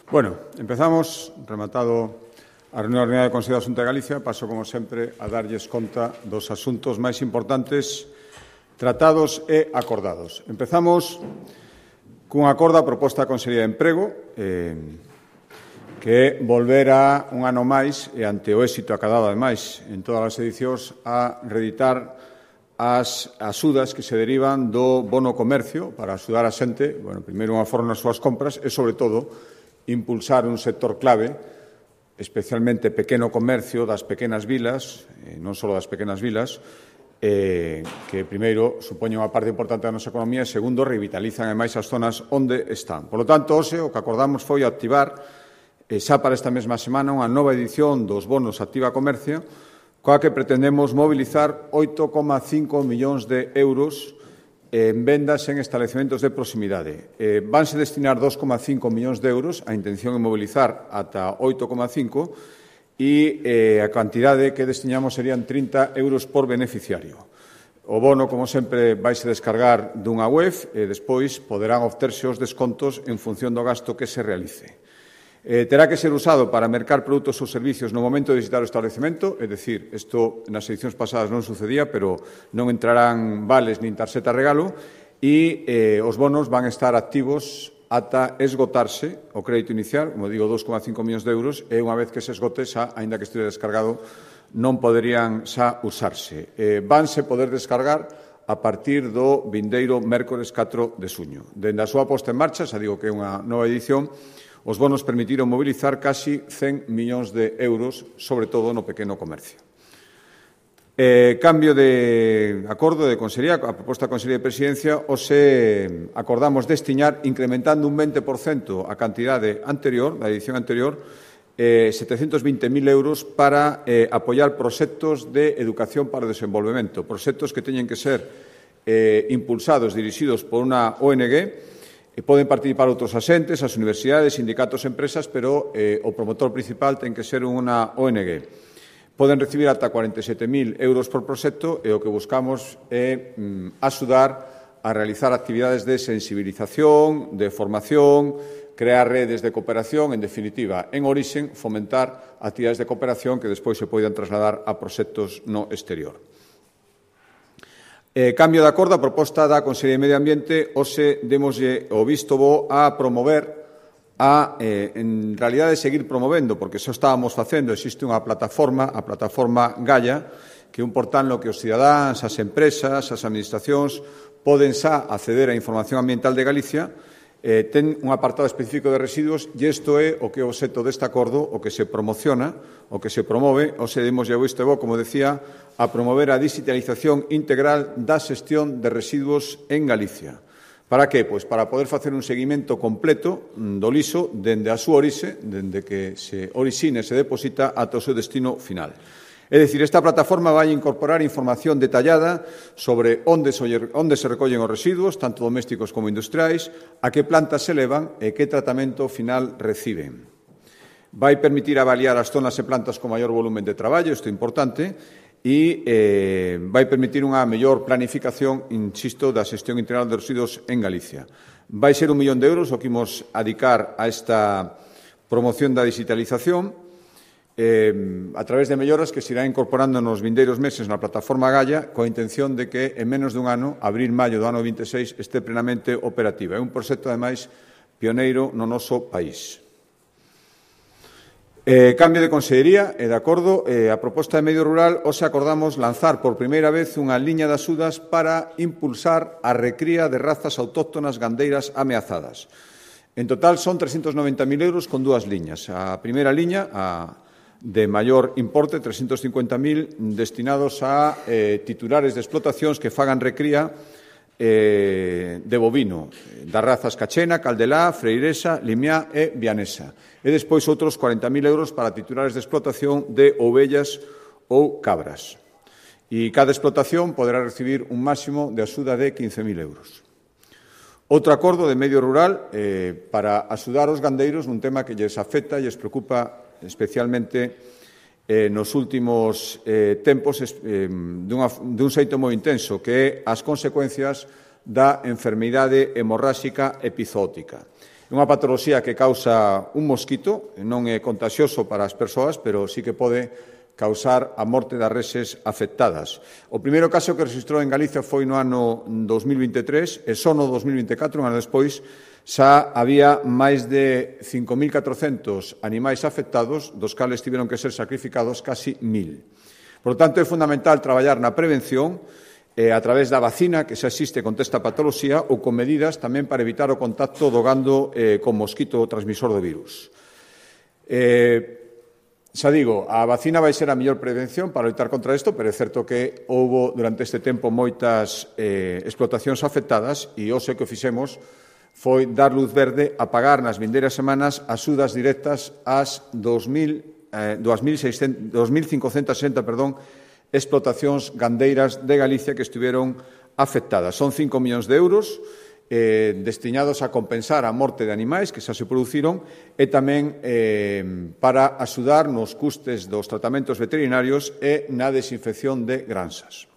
Bueno, empezamos, rematado a reunión ordinaria do Consello da Xunta de Galicia, paso, como sempre, a darlles conta dos asuntos máis importantes tratados e acordados. Empezamos cun acordo a proposta da Consellería de Emprego, que é volver a un ano máis, e ante o éxito acadado, ademais, en todas as edicións, a reeditar as axudas que se derivan do bono comercio para axudar a xente, primeiro unha forma nas súas compras e, sobre todo, impulsar un sector clave, especialmente pequeno comercio das pequenas vilas, non só das pequenas vilas, que, primeiro, supoñen unha parte importante da nosa economía e, segundo, revitalizan ademais as zonas onde están. Por lo tanto, hoxe, o que acordamos foi activar, xa para esta mesma semana, unha nova edición dos bonos Activa Comercio, coa que pretendemos mobilizar 8,5 millóns de euros en vendas en establecementos de proximidade. Vanse destinar 2,5 millóns de euros, a intención é mobilizar ata 8,5, e a cantidade que destinamos serían 30 euros por beneficiario. O bono, como sempre, vaise descargar dunha web e despois poderán obterse os descontos en función do gasto que se realice. Terá que ser usado para mercar produtos ou servicios no momento de visitar o establecemento, é dicir, isto nas edicións pasadas non sucedía, pero non entrarán vales nin tarxeta regalo, e os bonos van estar activos ata esgotarse o crédito inicial, como digo, 2,5 millóns de euros, e unha vez que se esgote, xa, aínda que estive descargado, non poderían xa usarse. Vanse poder descargar a partir do vindeiro mércores 4 de xuño. Dende a súa posta en marcha, xa digo que é unha nova edición, os bonos permitiron mobilizar casi 100 millóns de euros, sobre todo no pequeno comercio. Cambio de acordo de Consellería, a proposta da Consellería de Presidencia, hoxe acordamos destiñar, incrementando un 20% a cantidade anterior, da edición anterior, 720.000 euros para apoiar proxectos de educación para o desenvolvemento, proxectos que teñen que ser impulsados, dirixidos por unha ONG. Poden participar outros axentes, as universidades, sindicatos e empresas, pero o promotor principal ten que ser unha ONG. Poden recibir ata 47.000 euros por proxecto e o que buscamos é axudar a realizar actividades de sensibilización, de formación, crear redes de cooperación, en definitiva, en orixen, fomentar actividades de cooperación que despois se poidan trasladar a proxectos no exterior. Cambio de acordo, a proposta da Consellería de Medio Ambiente, hoxe demoslle o visto bo a promover, en realidade, seguir promovendo, porque xa estábamos facendo, existe unha plataforma, a plataforma Gaia, que é un portal no que os cidadáns, as empresas, as administracións, poden xa acceder á información ambiental de Galicia, ten un apartado específico de residuos e isto é o que é o obxecto deste acordo, o que se promociona, o que se promove, hoxe demoslle o visto bo, como decía, a promover a digitalización integral da xestión de residuos en Galicia. Para que? Pois para poder facer un seguimento completo do lixo dende a súa orixe, dende que se orixina e se deposita ata o seu destino final. É dicir, esta plataforma vai incorporar información detallada sobre onde se recollen os residuos, tanto domésticos como industriais, a que plantas se levan e que tratamento final reciben. Vai permitir avaliar as zonas e plantas con maior volumen de traballo, isto é importante, e vai permitir unha mellor planificación, insisto, da xestión integral de residuos en Galicia. Vai ser 1 millón de euros o que imos adicar a esta promoción da digitalización, a través de melloras que se irá incorporando nos vindeiros meses na plataforma Gaia, coa intención de que en menos dun ano, abril-maio do ano 26, este plenamente operativa. É un proxecto, ademais, pioneiro no noso país. Cambio de consellería, e de acordo, a proposta de medio rural, hoxe acordamos lanzar por primeira vez unha liña de axudas para impulsar a recría de razas autóctonas gandeiras ameazadas. En total son 390.000 euros con dúas liñas. A primeira liña, de maior importe, 350.000, destinados a titulares de explotacións que fagan recría de bovino, das razas cachena, caldelá, freiresa, limiá e vianesa. E despois outros 40.000 euros para titulares de explotación de ovellas ou cabras. E cada explotación poderá recibir un máximo de axuda de 15.000 euros. Outro acordo de medio rural para axudar os gandeiros nun tema que lles afecta e lles preocupa especialmente nos últimos tempos dun xeito moi intenso, que é as consecuencias da enfermidade hemorráxica epizootica. É unha patoloxía que causa un mosquito, non é contagioso para as persoas, pero sí que pode causar a morte das reses afectadas. O primeiro caso que registrou en Galicia foi no ano 2023 e só no 2024, un ano despois, xa había máis de 5.400 animais afectados, dos cales tiveron que ser sacrificados casi 1.000. Por lo tanto, é fundamental traballar na prevención a través da vacina que xa existe contra esta patoloxía ou con medidas tamén para evitar o contacto do gando con mosquito transmisor do virus. Xa digo, a vacina vai ser a mellor prevención para loitar contra isto, pero é certo que houbo durante este tempo moitas explotacións afectadas e hoxe que o fixemos foi dar luz verde a pagar nas vindeiras semanas axudas directas ás 2.560 explotacións gandeiras de Galicia que estiveron afectadas. Son 5 millóns de euros destinados a compensar a morte de animais que xa se produciron e tamén para axudar nos custes dos tratamentos veterinarios e na desinfección de granxas.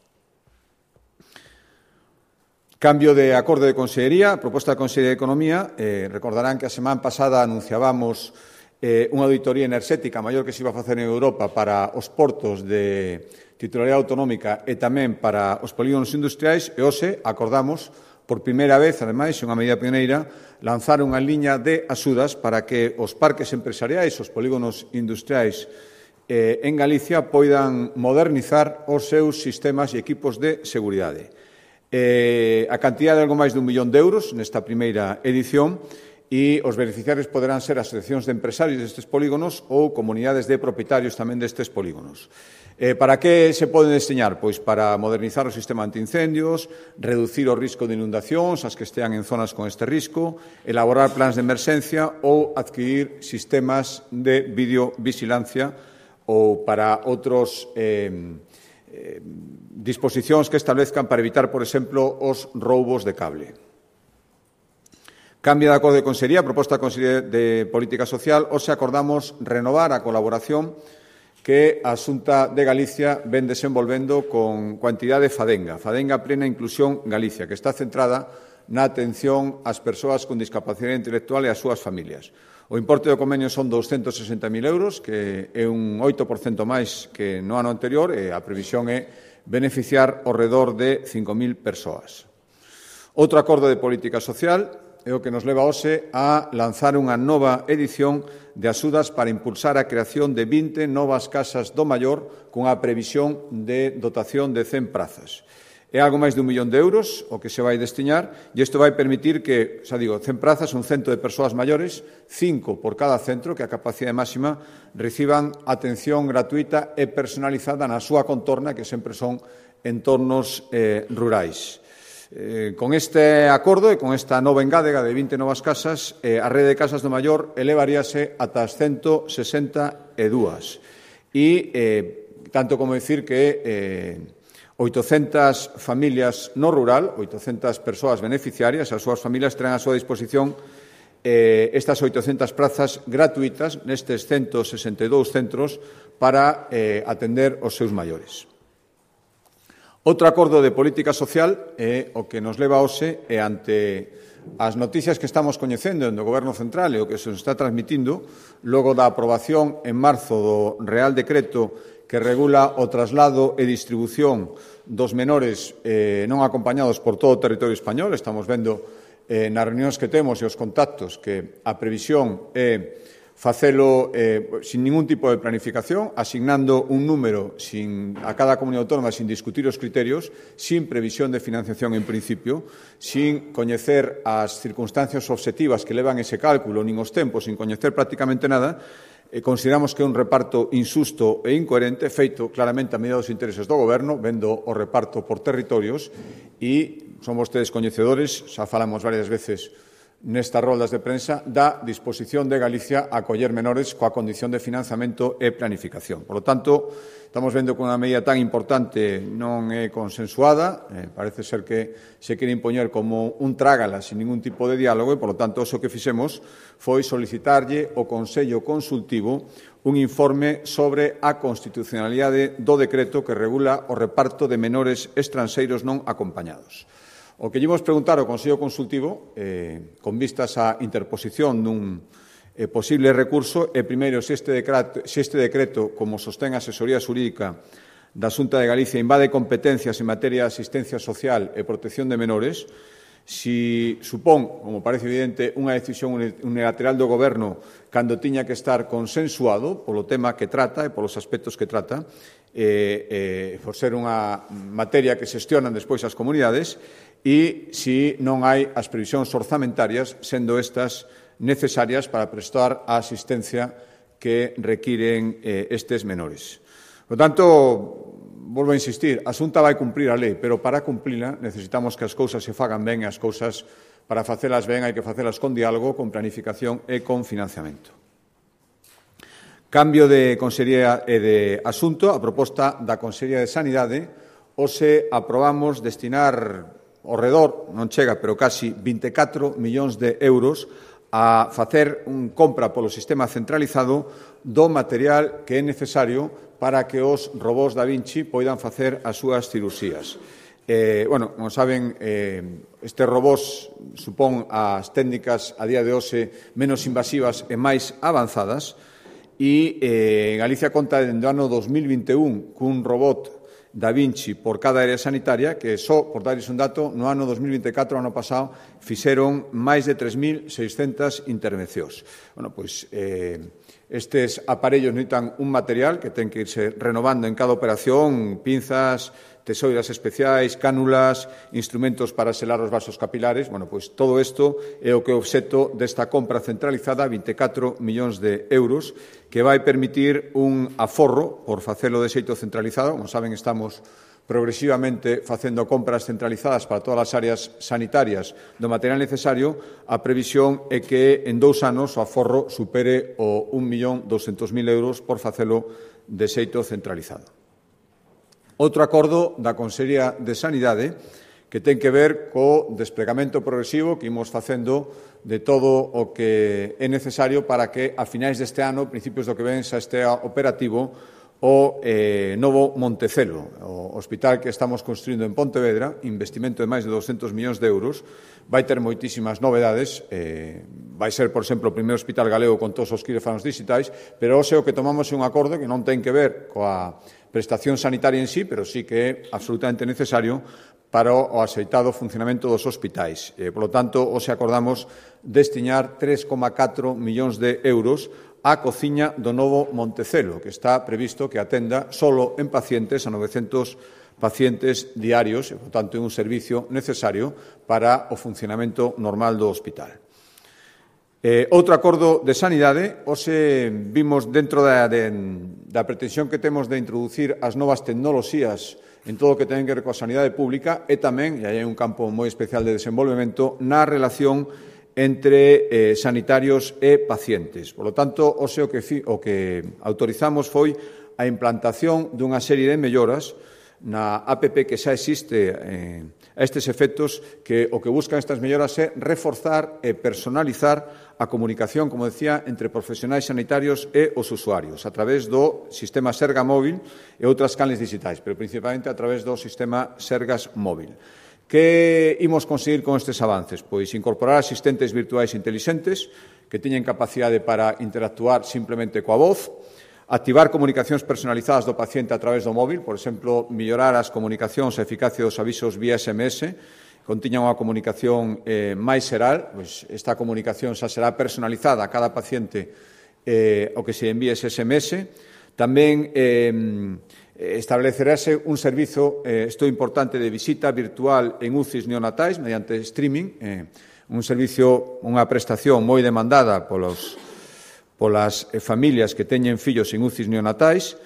Cambio de acordo de Consellería, proposta da Consellería de Economía. Recordarán que a semana pasada anunciábamos unha auditoría enerxética maior que se iba a facer en Europa para os portos de titularidade autonómica e tamén para os polígonos industriais e hoxe acordamos por primeira vez, ademais, unha medida pioneira, lanzar unha liña de axudas para que os parques empresariais, os polígonos industriais en Galicia poidan modernizar os seus sistemas e equipos de seguridade. A cantidad de algo máis de 1 millón de euros nesta primeira edición e os beneficiarios poderán ser asociacións de empresarios destes polígonos ou comunidades de propietarios tamén destes polígonos. Para que se poden destinar? Pois para modernizar o sistema antiincendios, reducir o risco de inundacións, as que estean en zonas con este risco, elaborar plans de emerxencia ou adquirir sistemas de videovigilancia ou para outros disposicións que establezcan para evitar, por exemplo, os roubos de cable. Cambio de acordo de Consellería, proposta da Consellería de Política Social. Hoxe acordamos renovar a colaboración que a Xunta de Galicia ven desenvolvendo con coa entidade FADENGA, FADENGA Plena Inclusión Galicia, que está centrada na atención ás persoas con discapacidade intelectual e ás súas familias. O importe do convenio son 260.000 euros, que é un 8% máis que no ano anterior, e a previsión é beneficiar ao redor de 5.000 persoas. Outro acordo de política social é o que nos leva hoxe a lanzar unha nova edición de axudas para impulsar a creación de 20 novas casas do maior cunha previsión de dotación de 100 prazas. É algo máis de 1 millón de euros o que se vai destinar e isto vai permitir que, xa digo, 100 prazas, un centro de persoas maiores, 5 por cada centro, que a capacidade máxima, reciban atención gratuita e personalizada na súa contorna, que sempre son entornos rurais. Con este acordo e con esta nova engádega de 20 novas casas, a rede de casas do maior elevaríase ata as 162. E tanto como decir que 800 familias no rural, 800 persoas beneficiarias, as súas familias terán a súa disposición estas 800 prazas gratuitas nestes 162 centros para atender os seus maiores. Outro acordo de política social é o que nos leva hoxe e ante as noticias que estamos coñecendo do Goberno Central e o que se nos está transmitindo logo da aprobación en marzo do Real Decreto que regula o traslado e distribución dos menores non acompañados por todo o territorio español. Estamos vendo nas reunións que temos e os contactos que a previsión é facelo sin ningún tipo de planificación, asignando un número a cada comunidade autónoma sin discutir os criterios, sin previsión de financiación en principio, sin coñecer as circunstancias obxectivas que levan ese cálculo, nin os tempos, sin coñecer prácticamente nada. Consideramos que é un reparto insusto e incoherente, feito claramente a medida dos intereses do Goberno, vendo o reparto por territorios, e son vostedes coñecedores, xa falamos varias veces nestas roldas de prensa, da disposición de Galicia a acoller menores coa condición de financiamento e planificación. Por lo tanto, estamos vendo que unha medida tan importante non é consensuada, parece ser que se quere impoñer como un trágala sin ningún tipo de diálogo e, por lo tanto, o que fixemos foi solicitarlle ao Consello Consultivo un informe sobre a constitucionalidade do decreto que regula o reparto de menores estranxeiros non acompañados. O que lle imos preguntar ao Consello Consultivo, con vistas á interposición dun posible recurso, é primeiro se este decreto, como sostén a asesoría xurídica da Xunta de Galicia, invade competencias en materia de asistencia social e protección de menores, si supón, como parece evidente, unha decisión unilateral do Goberno cando tiña que estar consensuado polo tema que trata e polos aspectos que trata, por ser unha materia que xestionan despois as comunidades, e si non hai as previsións orzamentarias, sendo estas necesarias para prestar a asistencia que requiren estes menores. Por tanto, volvo a insistir, a Xunta vai cumprir a lei, pero para cumplila necesitamos que as cousas se fagan ben e as cousas, para facelas ben, hai que facelas con diálogo, con planificación e con financiamento. Cambio de consellería e de asunto, a proposta da Consellería de Sanidade, hoxe aprobamos destinar ao redor, non chega, pero casi 24 millóns de euros a facer unha compra polo sistema centralizado do material que é necesario para que os robós Da Vinci poidan facer as súas cirurxías. Como saben, estes robós supón as técnicas a día de hoxe menos invasivas e máis avanzadas e Galicia conta dende o ano 2021 cun robot Da Vinci por cada área sanitaria, que só, por darles un dato, no ano 2024, ano pasado, fixeron máis de 3.600 intervencións. Estes aparellos necesitan un material que ten que irse renovando en cada operación, pinzas, tesoiras especiais, cánulas, instrumentos para selar os vasos capilares. Todo isto é o que é o obxecto desta compra centralizada, 24 millóns de euros, que vai permitir un aforro por facelo de xeito centralizado. Como saben, estamos progresivamente facendo compras centralizadas para todas as áreas sanitarias do material necesario. A previsión é que en 2 anos o aforro supere o 1.200.000 euros por facelo de xeito centralizado. Outro acordo da Consellería de Sanidade que ten que ver co desplegamento progresivo que imos facendo de todo o que é necesario para que a finais deste ano, principios do que ven, xa estea operativo o novo Montecelo, o hospital que estamos construindo en Pontevedra, investimento de máis de 200 millóns de euros, vai ter moitísimas novedades, vai ser, por exemplo, o primeiro hospital galego con todos os quirófanos digitais, pero hoxe o que tomamos é un acordo que non ten que ver coa prestación sanitaria en sí, pero sí que é absolutamente necesario para o axeitado funcionamento dos hospitais. Por lo tanto, hoxe acordamos destinar 3,4 millóns de euros á cociña do novo Montecelo, que está previsto que atenda solo en pacientes a 900 pacientes diarios, e, por tanto, é un servicio necesario para o funcionamento normal do hospital. Outro acordo de sanidade, hoxe vimos dentro da pretensión que temos de introducir as novas tecnoloxías en todo o que ten que ver coa sanidade pública e tamén, e aí hai un campo moi especial de desenvolvemento, na relación entre sanitarios e pacientes. Por lo tanto, hoxe o que autorizamos foi a implantación dunha serie de melloras na APP que xa existe a estes efectos, que o que buscan estas melloras é reforzar e personalizar a comunicación, como decía, entre profesionais sanitarios e os usuarios, a través do sistema Serga Móvil e outras canles digitais, pero principalmente a través do sistema Sergas Móvil. Que imos conseguir con estes avances? Pois incorporar asistentes virtuais intelixentes que teñen capacidade para interactuar simplemente coa voz, activar comunicacións personalizadas do paciente a través do móvil, por exemplo, mellorar as comunicacións e a eficacia dos avisos vía SMS, contiñan unha comunicación máis xeral, pois esta comunicación xa será personalizada a cada paciente o que se envíe ese SMS. Tamén establecerase un servizo, isto importante, de visita virtual en UCIs neonatais mediante streaming, un servizo, unha prestación moi demandada polas familias que teñen fillos en UCIs neonatais.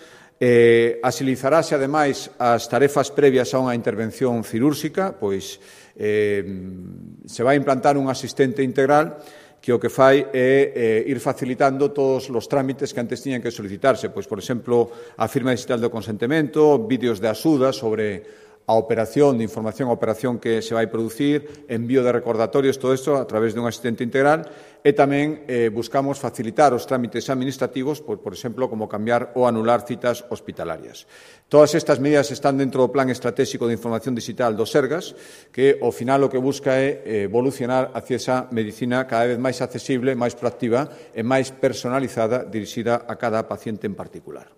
Axilizarase, ademais, as tarefas previas a unha intervención cirúrxica, pois se vai implantar un asistente integral que o que fai é ir facilitando todos os trámites que antes tiñan que solicitarse, pois, por exemplo, a firma digital do consentimento, vídeos de axuda sobre a operación de información, a operación que se vai producir, envío de recordatorios, todo isto a través dun asistente integral, e tamén buscamos facilitar os trámites administrativos, por exemplo, como cambiar ou anular citas hospitalarias. Todas estas medidas están dentro do Plan Estratégico de Información Digital do Sergas, que ao final o que busca é evolucionar hacia esa medicina cada vez máis accesible, máis proactiva e máis personalizada, dirixida a cada paciente en particular.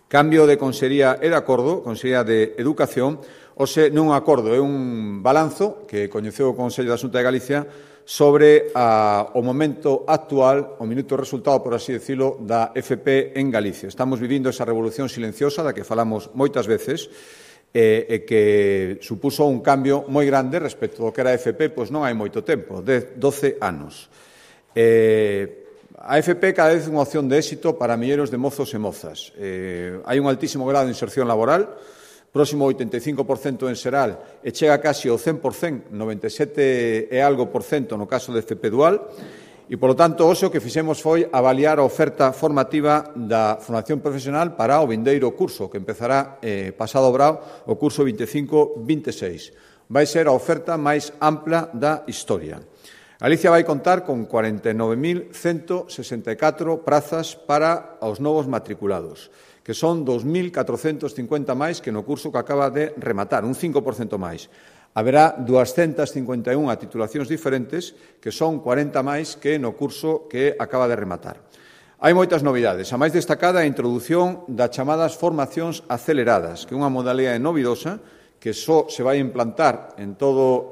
Cambio de Consellería e de acordo, Consellería de Educación, hoxe non un acordo, é un balanzo que coñeceu o Consello da Xunta de Galicia sobre o momento actual, o minuto resultado, por así decirlo, da FP en Galicia. Estamos vivindo esa revolución silenciosa da que falamos moitas veces e que supuso un cambio moi grande respecto do que era a FP, pois non hai moito tempo, 12 anos. A FP cada vez é unha opción de éxito para milleiros de mozos e mozas. Hai un altísimo grado de inserción laboral, próximo ao 85% en xeral e chega casi ao 100%, 97 e algo por cento no caso de FP Dual, e, polo tanto, hoxe o que fixemos foi avaliar a oferta formativa da formación profesional para o vindeiro curso, que empezará pasado brao o curso 25-26. Vai ser a oferta máis ampla da historia. Galicia vai contar con 49.164 prazas para os novos matriculados, que son 2.450 máis que no curso que acaba de rematar, un 5% máis. Haberá 251 titulacións diferentes, que son 40 máis que no curso que acaba de rematar. Hai moitas novidades. A máis destacada é a introdución das chamadas formacións aceleradas, que é unha modalidade novidosa que só se vai implantar en toda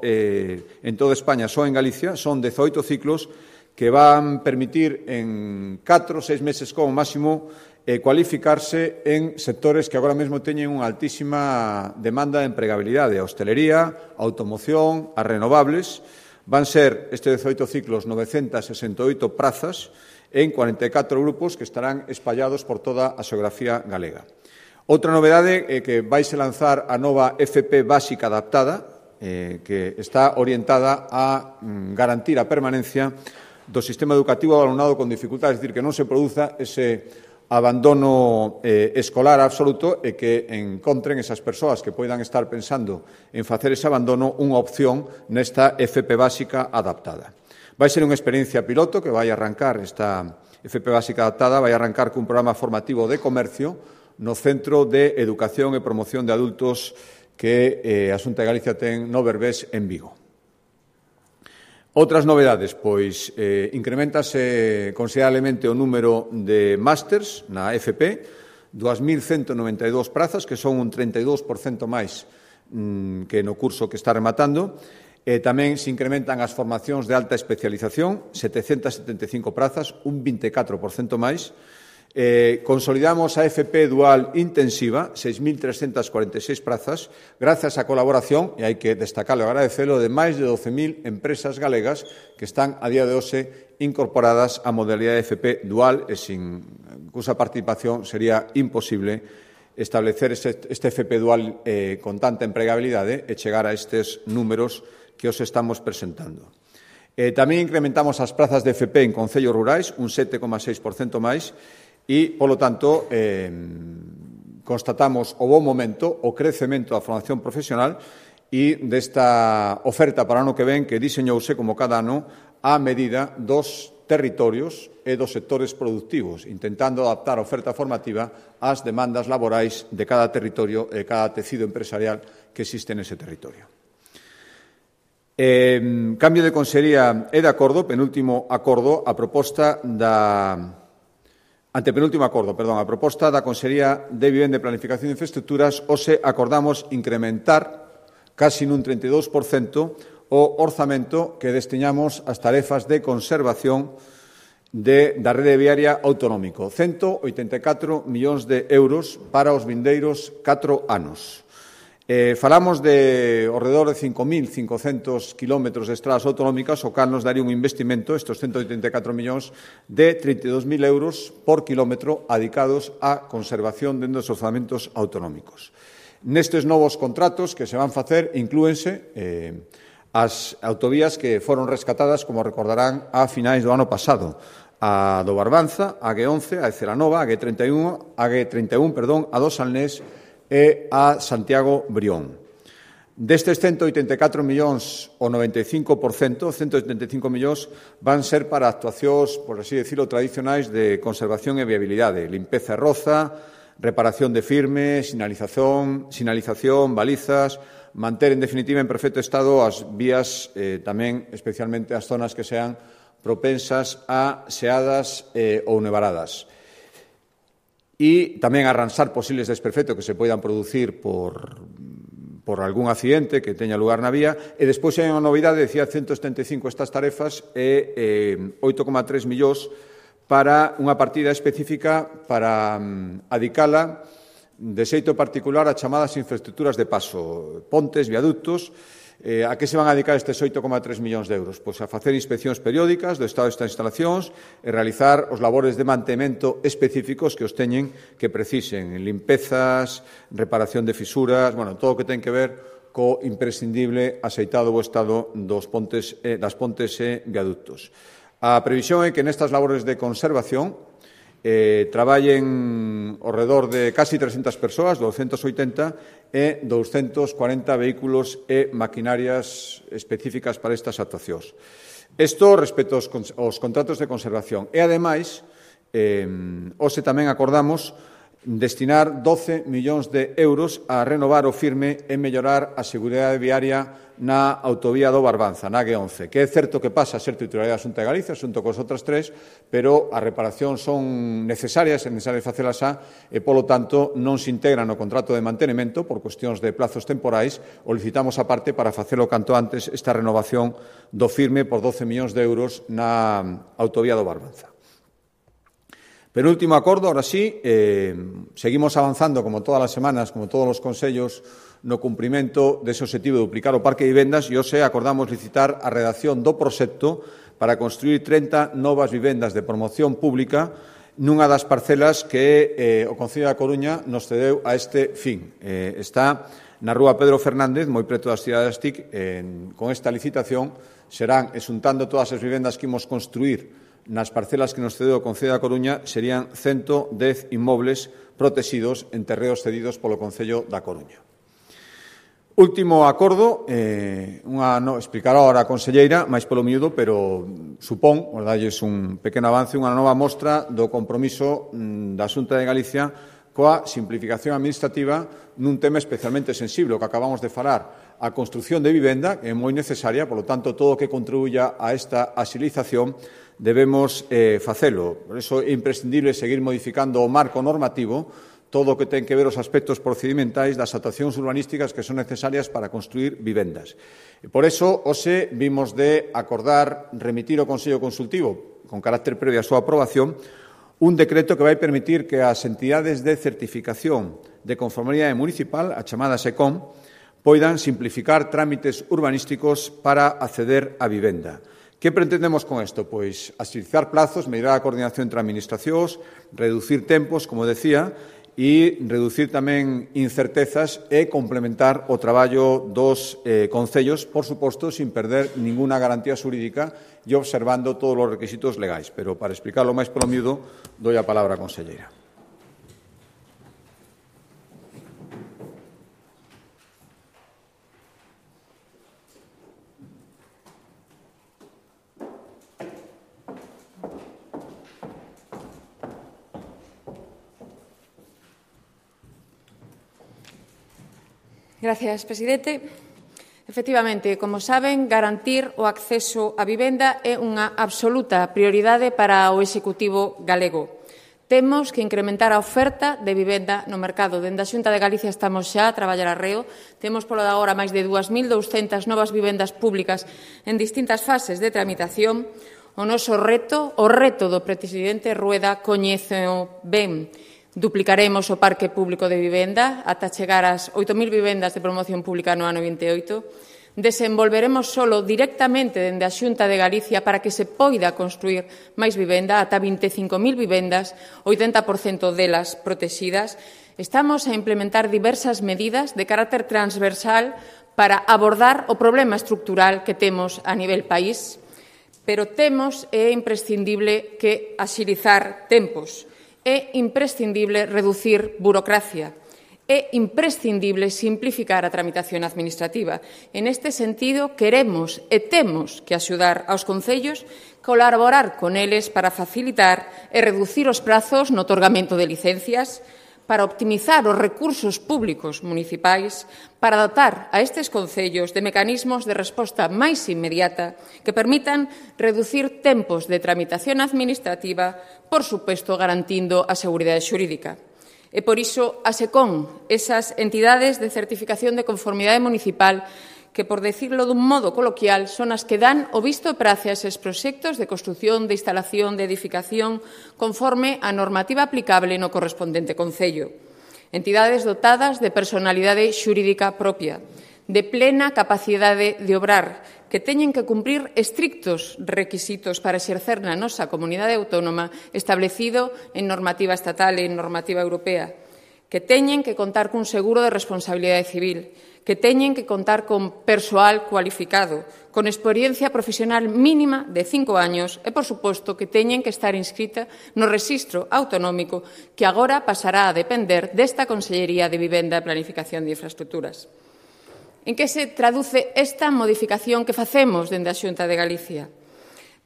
España, só en Galicia. Son 18 ciclos que van permitir en 4 ou 6 meses como máximo cualificarse en sectores que agora mesmo teñen unha altísima demanda de empregabilidade, a hostelería, a automoción, as renovables. Van ser estes 18 ciclos 968 prazas en 44 grupos que estarán espallados por toda a xeografía galega. Outra novedade é que vaise lanzar a nova FP básica adaptada, que está orientada a garantir a permanencia do sistema educativo ao alumnado con dificultades, é dicir, que non se produza ese abandono escolar absoluto e que encontren esas persoas que poidan estar pensando en facer ese abandono unha opción nesta FP básica adaptada. Vai ser unha experiencia piloto que vai arrancar, esta FP básica adaptada vai arrancar cun programa formativo de comercio no Centro de Educación e Promoción de Adultos que a Xunta de Galicia ten no Berbés en Vigo. Outras novedades, pois, incrementase considerablemente o número de másters na FP, 2.192 prazas, que son un 32% máis que no curso que está rematando. Tamén se incrementan as formacións de alta especialización, 775 prazas, un 24% máis. Consolidamos a FP Dual Intensiva, 6.346 prazas, grazas á colaboración, e hai que destacarlo e agradecelo, de máis de 12.000 empresas galegas que están a día de hoxe incorporadas á modalidade FP Dual e cusa participación sería imposible establecer este FP Dual con tanta empregabilidade e chegar a estes números que os estamos presentando. Tamén incrementamos as prazas de FP en concellos rurais, un 7,6% máis, e, polo tanto, constatamos o bon momento, o crecemento da formación profesional e desta oferta para o ano que ven que diseñouse como cada ano á medida dos territorios e dos sectores productivos, intentando adaptar a oferta formativa ás demandas laborais de cada territorio e de cada tecido empresarial que existe nese territorio. Cambio de consellería e de acordo, penúltimo acordo, a proposta da Consellería de Vivenda e Planificación de Infraestructuras. Hoxe acordamos incrementar casi nun 32% o orzamento que destiñamos ás tarefas de conservación da rede viaria autonómico, 184 millóns de euros para os vindeiros 4 anos. Falamos de ao redor de 5.500 kilómetros de estradas autonómicas, o cal nos daría un investimento, estes 184 millóns, de 32.000 euros por kilómetro adicados á conservación dentro dos orzamentos autonómicos. Nestes novos contratos que se van facer inclúense as autovías que foron rescatadas, como recordarán, a finais do ano pasado. A do Barbanza, a G11, a de Celanova, a G31, a do Salnés e a Santiago Brión. Destes 184 millóns, o 95%, 175 millóns, van ser para actuacións, por así decirlo, tradicionais de conservación e viabilidade, limpeza e roza, reparación de firmes, sinalización, balizas, manter, en definitiva, en perfecto estado as vías, tamén especialmente as zonas que sean propensas a xeadas ou nevaradas. E tamén arranxar posibles desperfectos que se poidan producir por algún accidente que teña lugar na vía, e despois hai unha novidade, decía 175 estas tarefas e 8,3 millóns para unha partida específica para adicala de xeito particular a chamadas infraestructuras de paso, pontes, viaductos. A que se van a dedicar estes 8,3 millóns de euros? Pois a facer inspeccións periódicas do estado destas instalacións e realizar os labores de mantemento específicos que os teñen que precisen, limpezas, reparación de fisuras, todo o que ten que ver co imprescindible axeitado bo estado das pontes e viaductos. A previsión é que nestas labores de conservación traballen ao redor de casi 300 persoas, 280, e 240 vehículos e maquinarias específicas para estas actuacións. Isto respecto aos contratos de conservación. E, ademais, hoxe tamén acordamos destinar 12 millóns de euros a renovar o firme e mellorar a seguridade viaria na autovía do Barbanza, na G11, que é certo que pasa a ser titularidade da Xunta de Galicia, xunto cos outras tres, pero as reparacións son necesarias, é necesario facelas e, polo tanto, non se integra no contrato de mantenimento por cuestións de plazos temporais, o licitamos aparte para facelo canto antes esta renovación do firme por 12 millóns de euros na autovía do Barbanza. Penúltimo acordo, ahora sí, seguimos avanzando, como todas as semanas, como todos os consellos, no cumprimento dese obxectivo de duplicar o parque de vivendas e hoxe acordamos licitar a redacción do proxecto para construir 30 novas vivendas de promoción pública nunha das parcelas que o Concello da Coruña nos cedeu a este fin. Está na rúa Pedro Fernández, moi preto das cidades TIC. Con esta licitación serán, exuntando todas as vivendas que imos construir nas parcelas que nos cedeu o Concello da Coruña, serían 110 inmobles protegidos en terreos cedidos polo Concello da Coruña. Último acordo, explicará ahora a conselleira, máis polo miúdo, pero supón, verdadelles un pequeno avance, unha nova mostra do compromiso da Xunta de Galicia coa simplificación administrativa nun tema especialmente sensible, o que acabamos de falar, a construción de vivenda, que é moi necesaria, polo tanto, todo o que contribuya a esta axilización debemos facelo. Por iso é imprescindible seguir modificando o marco normativo, todo o que ten que ver os aspectos procedimentais das actuacións urbanísticas que son necesarias para construir vivendas. E por iso, hoxe, vimos de acordar remitir ao Consello Consultivo, con carácter previo á súa aprobación, un decreto que vai permitir que as entidades de certificación de conformidade municipal, a chamada SECOM, poidan simplificar trámites urbanísticos para acceder á vivenda. Que pretendemos con isto? Pois axilizar plazos, mellorar a coordinación entre administracións, reducir tempos, como decía, e reducir tamén incertezas e complementar o traballo dos concellos, por suposto, sin perder ninguna garantía xurídica e observando todos os requisitos legais. Pero, para explicarlo máis polo miúdo, doi a palabra á conselleira. Gracias, presidente. Efectivamente, como saben, garantir o acceso á vivenda é unha absoluta prioridade para o Executivo galego. Temos que incrementar a oferta de vivenda no mercado. Dende a Xunta de Galicia estamos xa a traballar arreo. Temos polo de agora máis de 2.200 novas vivendas públicas en distintas fases de tramitación. O noso reto, o reto do presidente Rueda, coñéceo ben. Duplicaremos o parque público de vivenda ata chegar ás 8.000 vivendas de promoción pública no ano 28. Desenvolveremos solo directamente dende a Xunta de Galicia para que se poida construir máis vivenda, ata 25.000 vivendas, 80% delas protegidas. Estamos a implementar diversas medidas de carácter transversal para abordar o problema estructural que temos a nivel país, pero temos é imprescindible que axilizar tempos. É imprescindible reducir burocracia. é imprescindible simplificar a tramitación administrativa. En este sentido, queremos e temos que axudar aos concellos, colaborar con eles para facilitar e reducir os prazos no otorgamento de licencias, para optimizar os recursos públicos municipais, para dotar a estes concellos de mecanismos de resposta máis inmediata que permitan reducir tempos de tramitación administrativa, por suposto, garantindo a seguridade xurídica. E por iso, a SECOM, esas entidades de certificación de conformidade municipal, que, por decirlo dun modo coloquial, son as que dan o visto e prace a eses proxectos de construción, de instalación, de edificación, conforme a normativa aplicable no correspondente concello. Entidades dotadas de personalidade xurídica propia, de plena capacidade de obrar, que teñen que cumprir estrictos requisitos para exercer na nosa comunidade autónoma establecido en normativa estatal e en normativa europea, que teñen que contar cun seguro de responsabilidade civil, que teñen que contar con persoal cualificado, con experiencia profesional mínima de 5 años e, por suposto, que teñen que estar inscrita no Rexistro Autonómico que agora pasará a depender desta Consellería de Vivenda e Planificación de Infraestructuras. En que se traduce esta modificación que facemos dende a Xunta de Galicia?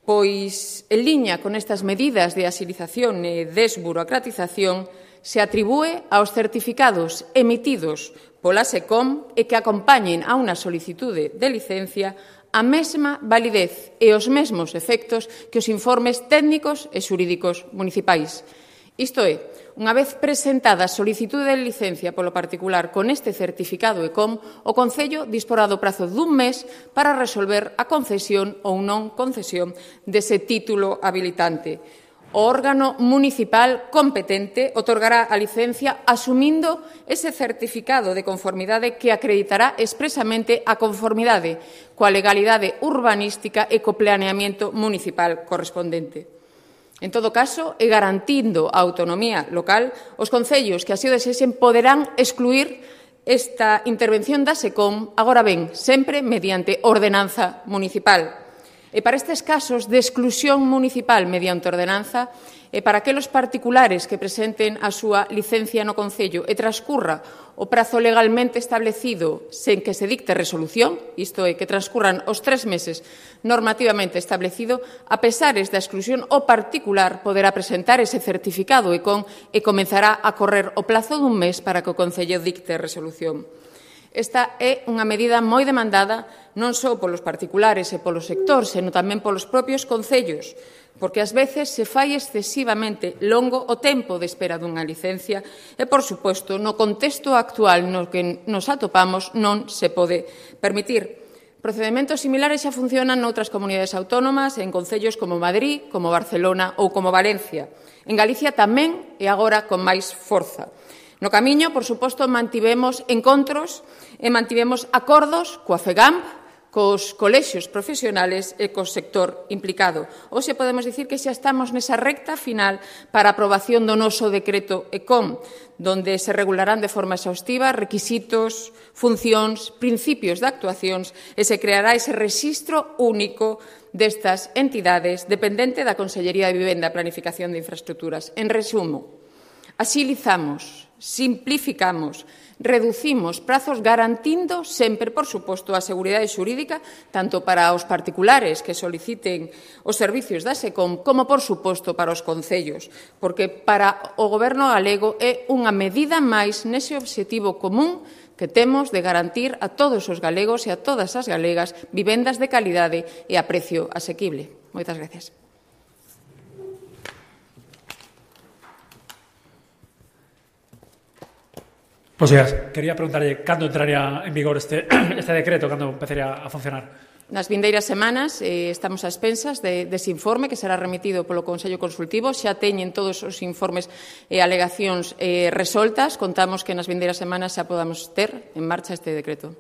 Pois, en liña con estas medidas de axilización e desburocratización, se atribúe aos certificados emitidos pola SECOM e que acompañen a unha solicitude de licencia a mesma validez e os mesmos efectos que os informes técnicos e xurídicos municipais. Isto é, unha vez presentada a solicitude de licencia polo particular con este certificado ECOM, o Concello disporá do prazo dun mes para resolver a concesión ou non concesión dese título habilitante. O órgano municipal competente otorgará a licencia asumindo ese certificado de conformidade que acreditará expresamente a conformidade coa legalidade urbanística e co planeamiento municipal correspondente. En todo caso, e garantindo a autonomía local, os concellos que así o desexen poderán excluir esta intervención da SECOM, agora ben, sempre mediante ordenanza municipal. E para estes casos de exclusión municipal mediante ordenanza, e para aqueles particulares que presenten a súa licencia no Concello e transcurra o prazo legalmente establecido sen que se dicte resolución, isto é, que transcurran os 3 meses normativamente establecido, a pesares da exclusión, o particular poderá presentar ese certificado ECOM e comenzará a correr o plazo dun mes para que o Concello dicte resolución. Esta é unha medida moi demandada non só polos particulares e polo sector, senón tamén polos propios concellos, porque ás veces se fai excesivamente longo o tempo de espera dunha licencia e, por suposto, no contexto actual no que nos atopamos non se pode permitir. Procedimentos similares xa funcionan noutras comunidades autónomas, en concellos como Madrid, como Barcelona ou como Valencia. En Galicia tamén e agora con máis forza. No camiño, por suposto, mantivemos encontros e mantivemos acordos coa FEGAMP, cos colexios profesionales e co sector implicado. Hoxe podemos dicir que xa estamos nesa recta final para a aprobación do noso decreto ECOM, donde se regularán de forma exhaustiva requisitos, funcións, principios de actuacións e se creará ese rexistro único destas entidades dependente da Consellería de Vivenda e Planificación de Infraestructuras. En resumo, axilizamos, simplificamos, reducimos prazos garantindo sempre, por suposto, a seguridade xurídica tanto para os particulares que soliciten os servicios da SECOM como, por suposto, para os concellos, porque para o Goberno galego é unha medida máis nese obxectivo común que temos de garantir a todos os galegos e a todas as galegas vivendas de calidade e a precio asequible. Moitas gracias. Pois quería preguntarlle cando entraría en vigor este decreto, cando empezaría a funcionar. Nas vindeiras semanas estamos a expensas dese informe que será remitido polo Consello Consultivo. Xa teñen todos os informes e alegacións resoltas. Contamos que nas vindeiras semanas xa podamos ter en marcha este decreto.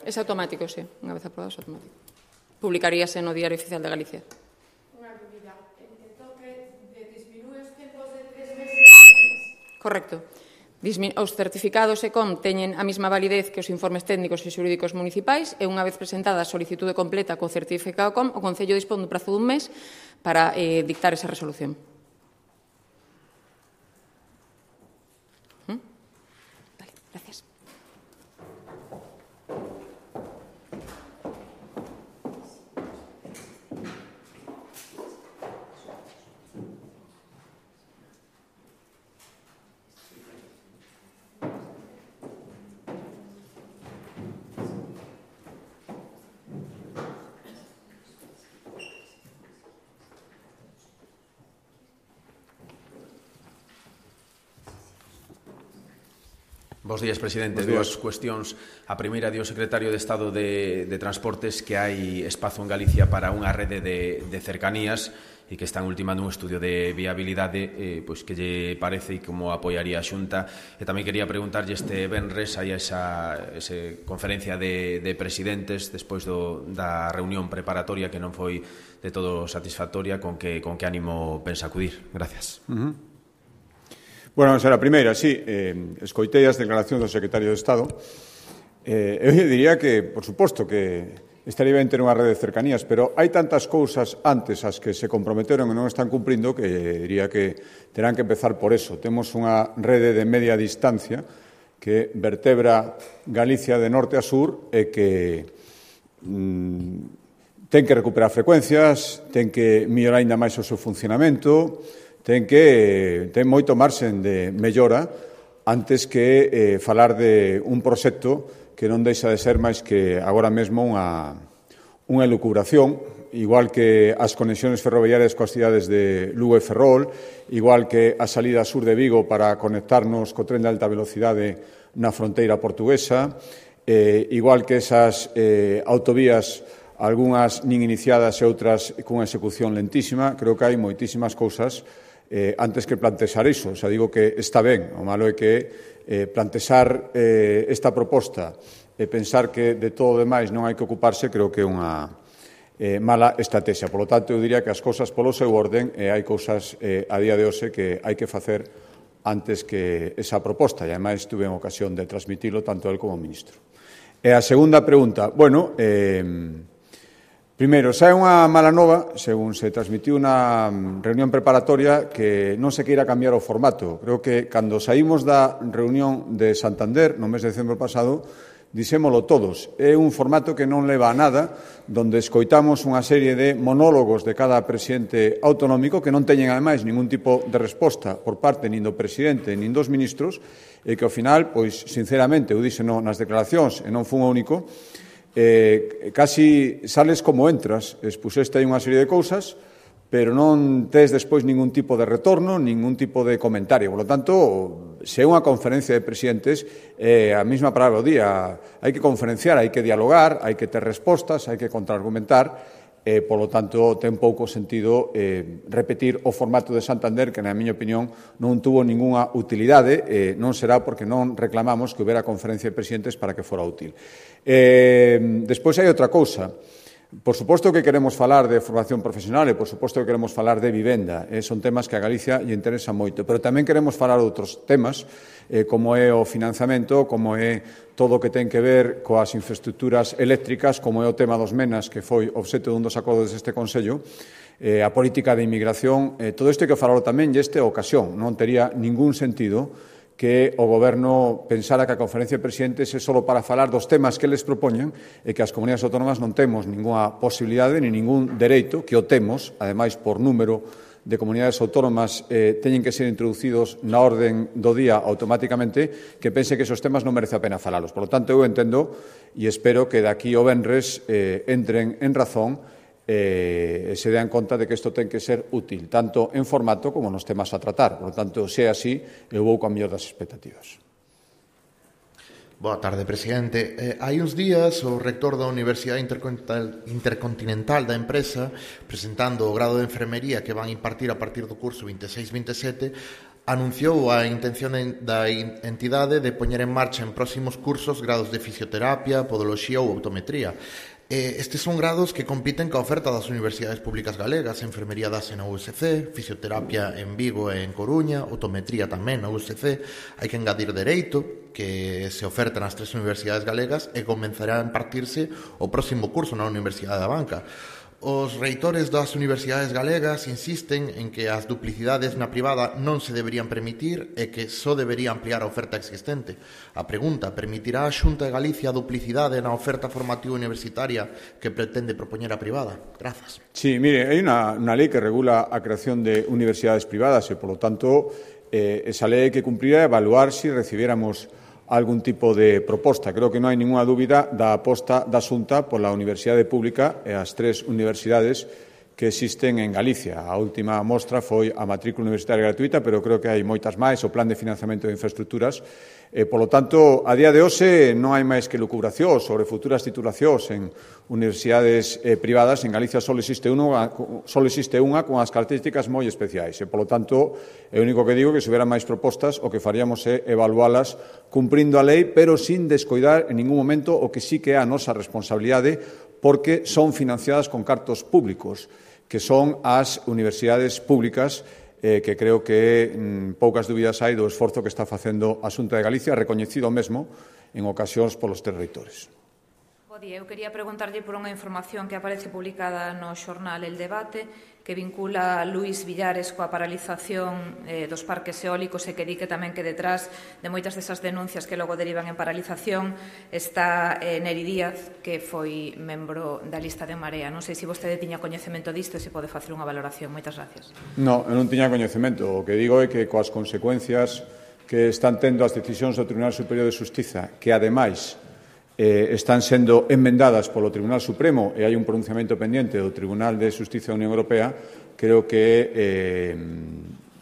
É automático, sí. Unha vez aprobado, é automático. Publicaríase no Diario Oficial de Galicia. Unha dúbida. Entón que disminúe os tempos de 3 meses? Correcto. Os certificados ECOM teñen a mesma validez que os informes técnicos e xurídicos municipais e unha vez presentada a solicitude completa co certificado ECOM, o Concello dispón dun prazo dun mes para dictar esa resolución. Vale, gracias. Bos días, presidente. Dúas cuestións. A primeira, o secretario de Estado de Transportes, que hai espazo en Galicia para unha rede de cercanías e que están ultimando un estudio de viabilidade, pois que lle parece e como apoiaría a Xunta. E tamén quería preguntarlle este venres, hai esa conferencia de presidentes despois da reunión preparatoria que non foi de todo satisfactoria, con que ánimo pensa acudir? Gracias. Bueno, vamos a la primeira, sí, escoitei as declaracións do secretario de Estado. Eu diría que, por suposto, que estaría ben ter unha rede de cercanías, pero hai tantas cousas antes as que se comprometeron e non están cumprindo que diría que terán que empezar por eso. Temos unha rede de media distancia que vertebra Galicia de norte a sur e que ten que recuperar frecuencias, ten que mellorar ainda máis o seu funcionamento, ten moito marxen de mellora antes que falar de un proxecto que non deixa de ser máis que agora mesmo unha elucubración, igual que as conexións ferroviarias coas cidades de Lugo e Ferrol, igual que a salida sur de Vigo para conectarnos co tren de alta velocidade na fronteira portuguesa, igual que esas autovías, algunhas nin iniciadas e outras cunha execución lentísima. Creo que hai moitísimas cousas antes que plantexar iso. O sea, digo que está ben. O malo é que plantexar esta proposta e pensar que de todo o demais non hai que ocuparse, creo que é unha mala estrategia. Por lo tanto, eu diría que as cousas polo seu orden hai cousas a día de hoxe que hai que facer antes que esa proposta. E, ademais, tuve en ocasión de transmitilo tanto el como o ministro. E a segunda pregunta, bueno, primeiro, xa é unha mala nova, según se transmitiu na reunión preparatoria, que non se queira cambiar o formato. Creo que cando saímos da reunión de Santander, no mes de decembro pasado, dixémolo todos. É un formato que non leva a nada, donde escoitamos unha serie de monólogos de cada presidente autonómico que non teñen, ademais, ningún tipo de resposta por parte nin do presidente nin dos ministros, e que, ao final, pois, sinceramente, eu dixeno nas declaracións, e non fun o único, casi sales como entras, expuseste aí unha serie de cousas, pero non tes despois ningún tipo de retorno, ningún tipo de comentario. Por lo tanto, se é unha conferencia de presidentes, a mesma palabra o día, hai que conferenciar, hai que dialogar, hai que ter respostas, hai que contraargumentar, por lo tanto, ten pouco sentido repetir o formato de Santander, que, na miña opinión, non tuvo ningunha utilidade, non será porque non reclamamos que houbera conferencia de presidentes para que fora útil. Despois hai outra cousa. Por suposto que queremos falar de formación profesional e por suposto que queremos falar de vivenda. Son temas que a Galicia lle interesan moito, pero tamén queremos falar de outros temas, como é o financiamento, como é todo o que ten que ver coas infraestructuras eléctricas, como é o tema dos menas, que foi obxecto dun dos acordos deste Consello, a política de inmigración. Todo isto hai que falarlo tamén e esta ocasión. Non tería ningún sentido que o Goberno pensara que a conferencia de presidentes é só para falar dos temas que eles propoñen e que as comunidades autónomas non temos ninguna posibilidade ni ningún dereito, que o temos, ademais por número de comunidades autónomas teñen que ser introducidos na orden do día automáticamente, que pense que esos temas non merece a pena falalos. Por lo tanto, eu entendo e espero que daqui ao venres entren en razón e se dean conta de que isto ten que ser útil, tanto en formato como nos temas a tratar. Por lo tanto, se é así, eu vou coa mellor das expectativas. Boa tarde, presidente. Hai uns días, o rector da Universidade Intercontinental da empresa, presentando o grado de enfermería que van impartir a partir do curso 26-27, anunciou a intención da entidade de poñer en marcha en próximos cursos grados de fisioterapia, podoloxía ou optometría. Estes son grados que compiten coa oferta das universidades públicas galegas, enfermería dase na USC, fisioterapia en Vigo e en Coruña, otometría tamén na USC, hai que engadir dereito, que se oferta nas 3 universidades galegas e comenzará a impartirse o próximo curso na Universidade da Banca. Os reitores das universidades galegas insisten en que as duplicidades na privada non se deberían permitir e que só debería ampliar a oferta existente. A pregunta, permitirá a Xunta de Galicia a duplicidade na oferta formativa universitaria que pretende propoñer a privada? Grazas. Sí, mire, hai unha lei que regula a creación de universidades privadas e, polo tanto, esa lei hai que cumprir e evaluar se recibiéramos algún tipo de proposta. Creo que non hai ninguna dúbida da aposta da Xunta pola Universidade Pública e as 3 universidades que existen en Galicia. A última mostra foi a matrícula universitaria gratuita, pero creo que hai moitas máis, o plan de financiamento de infraestructuras. Polo tanto, a día de hoxe non hai máis que lucubracións sobre futuras titulacións en universidades privadas. En Galicia só existe unha con as características moi especiais. Polo tanto, é o único que digo que se houberan máis propostas, o que faríamos é evalualas cumprindo a lei, pero sin descoidar en ningún momento o que sí que é a nosa responsabilidade, porque son financiadas con cartos públicos, que son as universidades públicas, que creo que poucas dúbidas hai do esforzo que está facendo a Xunta de Galicia, recoñecido mesmo en ocasións polos 3 reitores. Eu quería preguntarlle por unha información que aparece publicada no xornal El Debate, que vincula a Luís Villares coa paralización dos parques eólicos e que di que tamén que detrás de moitas desas denuncias que logo derivan en paralización está Neri Díaz, que foi membro da lista de Marea. Non sei se vostede tiña coñecemento disto e se pode facer unha valoración. Moitas gracias. Non, eu non tiña coñecemento. O que digo é que coas consecuencias que están tendo as decisións do Tribunal Superior de Xustiza, que ademais están sendo enmendadas polo Tribunal Supremo e hai un pronunciamento pendiente do Tribunal de Xustiza da Unión Europea, creo que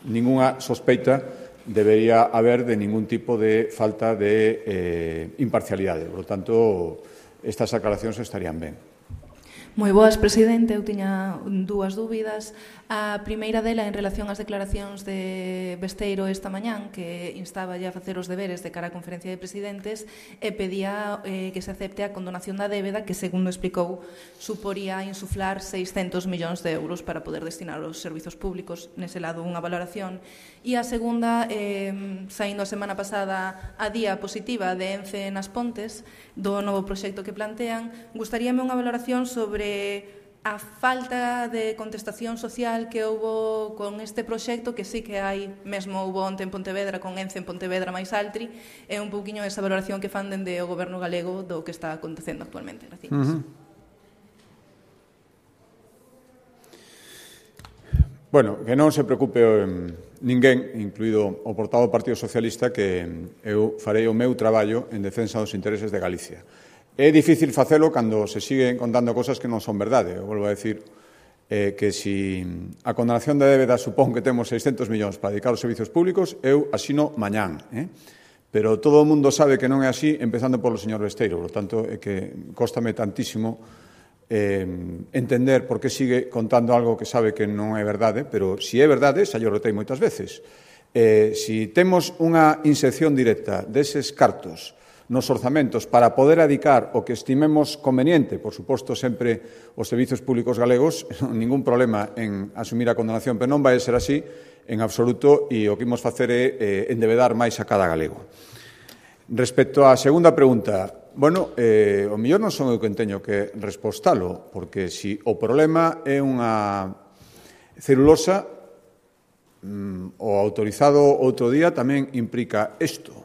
ningunha sospeita debería haber de ningún tipo de falta de imparcialidade. Por lo tanto, estas aclaracións estarían ben. Moi boas, presidente. Eu tiña 2 dúbidas. A primeira dela en relación ás declaracións de Besteiro esta mañán, que instaba a facer os deberes de cara á conferencia de presidentes e pedía que se acepte a condonación da débeda que, segundo explicou, suporía insuflar 600 millóns de euros para poder destinar aos servizos públicos. Nese lado, unha valoración. E a segunda, saindo a semana pasada a día positiva de Ence nas Pontes, do novo proxecto que plantean, gustaríame unha valoración sobre a falta de contestación social que houbo con este proxecto, que sí que hai, mesmo houbo onte en Pontevedra, con Ence en Pontevedra máis Altri, e un pouquiño esa valoración que fan dende o goberno galego do que está acontecendo actualmente. Gracias. Bueno, que non se preocupe ninguén, incluído o portavoz do Partido Socialista, que eu farei o meu traballo en defensa dos intereses de Galicia. É difícil facelo cando se siguen contando cosas que non son verdade. Eu volvo a decir que se a condonación da débeda supón que temos 600 millóns para dedicar aos servizos públicos, eu asino mañán. Pero todo o mundo sabe que non é así, empezando polo señor Besteiro. Por lo tanto, é que cóstame tantísimo entender por que sigue contando algo que sabe que non é verdade, pero se é verdade, xa yo rotei moitas veces. Se temos unha inserción directa deses cartos nos orzamentos para poder adicar o que estimemos conveniente, por suposto, sempre os servizos públicos galegos, ningún problema en asumir a condonación, pero non vai ser así en absoluto, e o que imos facer é endebedar máis a cada galego. Respecto á segunda pregunta, bueno, o mellor non son eu que teño que respostalo, porque se o problema é unha celulosa, o autorizado outro día tamén implica isto.